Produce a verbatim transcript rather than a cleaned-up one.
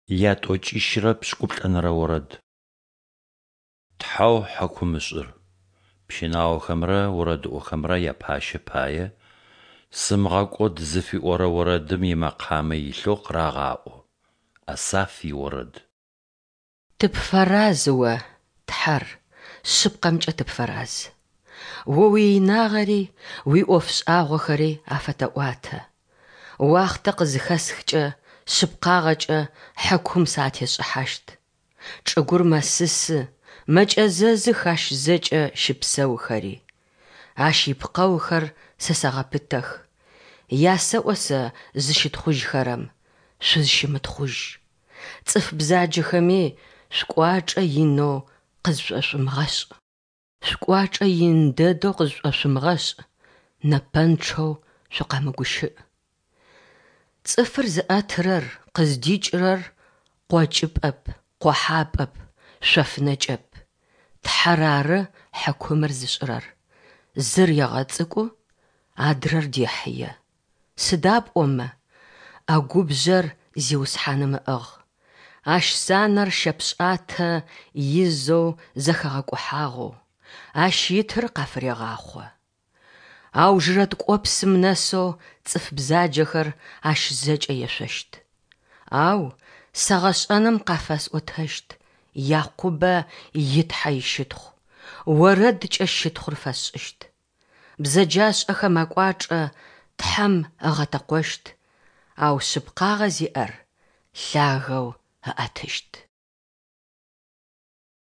Ятӏокӏищырэ пшӏыкӏуплӏэнэрэ орэд. Тхьэу хьыкумышӏыр, пщынаохэмрэ орэдыӏохэмрэ япащэ пае «Сымыгъэкӏод» зыфиӏорэ орэдым имэкъамэ илъэу къырагъаӏо. Асаф иорэд. Тыпфэраз О, Тхьэр, шъыпкъэмкӏэ тыпфэраз. О уиинагъэри уиӏоф шӏагъохэри афэтэӏуатэ. Уахътэ къызыхэсхкӏэ, шъыпкъагъэкӏэ хьыкум сэ атесшӏыхьащт. Чӏыгур мэсысы, мэкӏэзэзых ащ зэкӏэ щыпсэухэри. Ащ ипкъэухэр сэ сэгъэпытэх. Ясэӏо сэ зыщытхъужьхэрэм: Шъузщымытхъужь. Цӏыф бзаджэхэми: Шъукӏуачӏэ инэу къызшӏошъумыгъэшӏ. Шъукӏуачӏэ ин дэдэу къызшӏошъумыгъэшӏ, нэпэнчъэу шъукъэмыгущыӏ. Цӏыфыр зыӏэтырэр къыздикӏырэр къокӏыпӏэп, къохьапӏэп, шъоф нэкӏэп. Тхьэр ары хьыкумыр зышӏырэр: зыр егъэцӏыкӏу, адрэр дехьые. Сыда пӏомэ ӏэгубжъэр Зиусхьаным ыӏыгъ, Ащ санэр щэпшӏатэ изэу зэхэгъэкӏухьагъэу, ащ итыр къафырегъахъо. Аужырэ ткӏопсым нэсэу цӏыф бзаджэхэр ащ зэкӏэ ешъощт. Ау сэ гъэшӏэным къафэсӏотэщт Якъубэ и Тхьэ ищытхъу, орэдкӏэ щытхъур фэсшӏыщт. Бзэджашӏэхэм акӏуачӏэ Тхьэм ыгъэтэкъощт, ау шъыпкъагъэ зиӏэр лъагэу ыӏэтыщт.